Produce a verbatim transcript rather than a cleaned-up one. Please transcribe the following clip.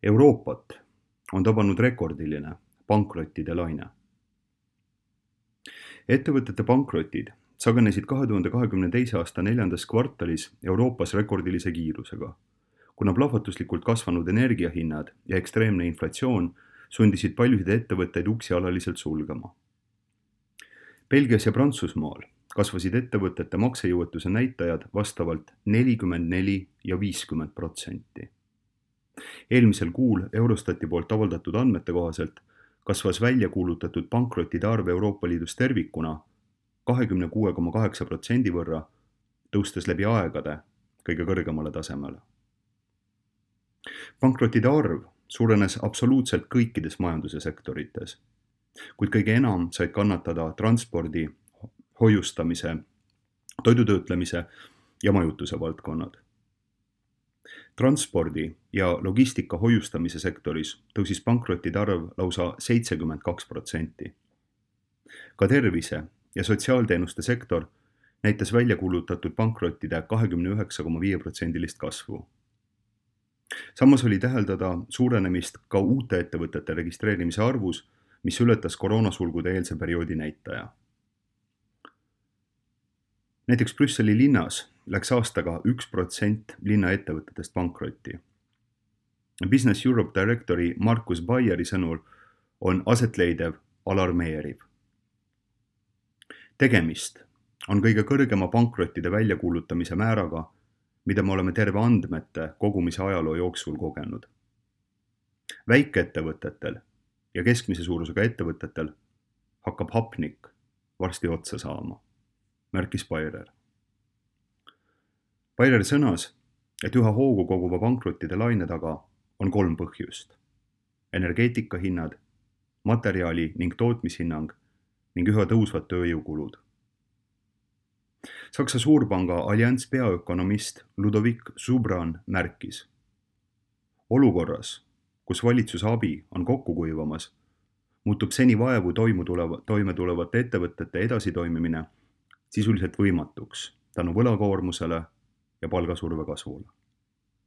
Euroopat on tabanud rekordiline pankrottide laine. Ettevõtete pankrotid sagenesid kahe tuhande kahekümne teise aasta neljandas kvartalis Euroopas rekordilise kiirusega, kuna plahvatuslikult kasvanud energiahinnad ja ekstreemne inflatsioon sundisid paljusid ettevõtteid uksi alaliselt sulgema. Belgias ja Prantsusmaal kasvasid ettevõtete maksejõuetuse näitajad vastavalt nelikümmend neli ja viiskümmend protsenti. Eelmisel kuul Eurostati poolt avaldatud andmete kohaselt kasvas välja kuulutatud pankrotide arv Euroopa Liidus tervikuna kahekümne kuue koma kaheksa protsendi võrra, tõustes läbi aegade kõige kõrgemale tasemele. Pankrotide arv suurenes absoluutselt kõikides majanduse sektorites, kuid kõige enam said kannatada transpordi, hoiustamise, toidutöötlemise ja majutuse valdkonnad. Transpordi ja logistika hoiustamise sektoris tõusis pankrotide arv lausa seitsekümmend kaks protsenti. Ka tervise ja sotsiaalteenuste sektor näitas välja kuulutatud pankrottide kahekümne üheksa koma viis protsendilist kasvu. Samas oli täheldada suurenemist ka uute ettevõtete registreerimise arvus, mis ületas koroonasulgude eelse perioodi näitaja. Näiteks Brüsseli linnas läks aastaga üks protsent linna ettevõtetest pankrotti. Business Europe direktori Markus Baieri sõnul on asetleidev alarmeeriv. Tegemist on kõige kõrgema pankrottide väljakuulutamise määraga, mida me oleme terve andmete kogumise ajaloo jooksul kogenud. Väikeettevõtetel ja keskmise suurusega ettevõtetel hakkab hapnik varsti otsa saama, märkis Baier. Baier sõnas, et üha hoogu koguva pankrottide laine taga on kolm põhjust: energeetikahinnad, materjali ning tootmishinnang ning üha tõusvad tööjõukulud. Saksa suurpanga Allianz peaökonomist Ludovik Subran märkis: olukorras, kus valitsuse abi on kokku kuivamas, muutub seni vaevu toime tulevate ettevõtete edasitoimimine sisuliselt võimatuks tänu võlakoormusele ja palgasurve kasvule.